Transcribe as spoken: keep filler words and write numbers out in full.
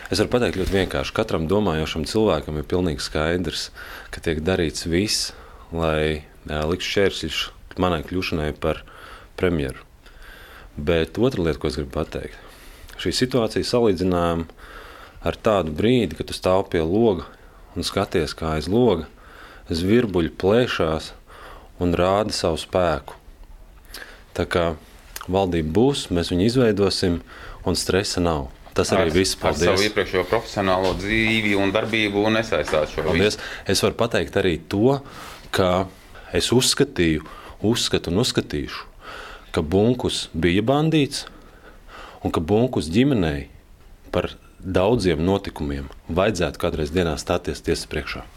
Es varu pateikt ļoti vienkārši. Katram domājošam cilvēkam ir pilnīgi skaidrs, ka tiek darīts viss, lai liktu šķērsļus manai kļūšanai par premjeru. Bet otra lieta, ko es gribu pateikt, šī situācija salīdzinājuma ar tādu brīdi, kad tu stāv pie loga un skaties, kā aiz loga zvirbuļi plēšās un rāda savu spēku. Tā kā valdība būs, mēs viņu izveidosim un stresa nav. Tas arī viss. Paldies. Ar savu iepriekšējo profesionālo dzīvi un darbību un nesaistāt šo Paldies. Visu. Es varu pateikt arī to, ka es uzskatīju, uzskatu un uzskatīšu, ka Bunkus bija bandīts un ka Bunkus ģimenei par daudziem notikumiem vajadzētu kādreiz dienā stāties tiesas priekšā.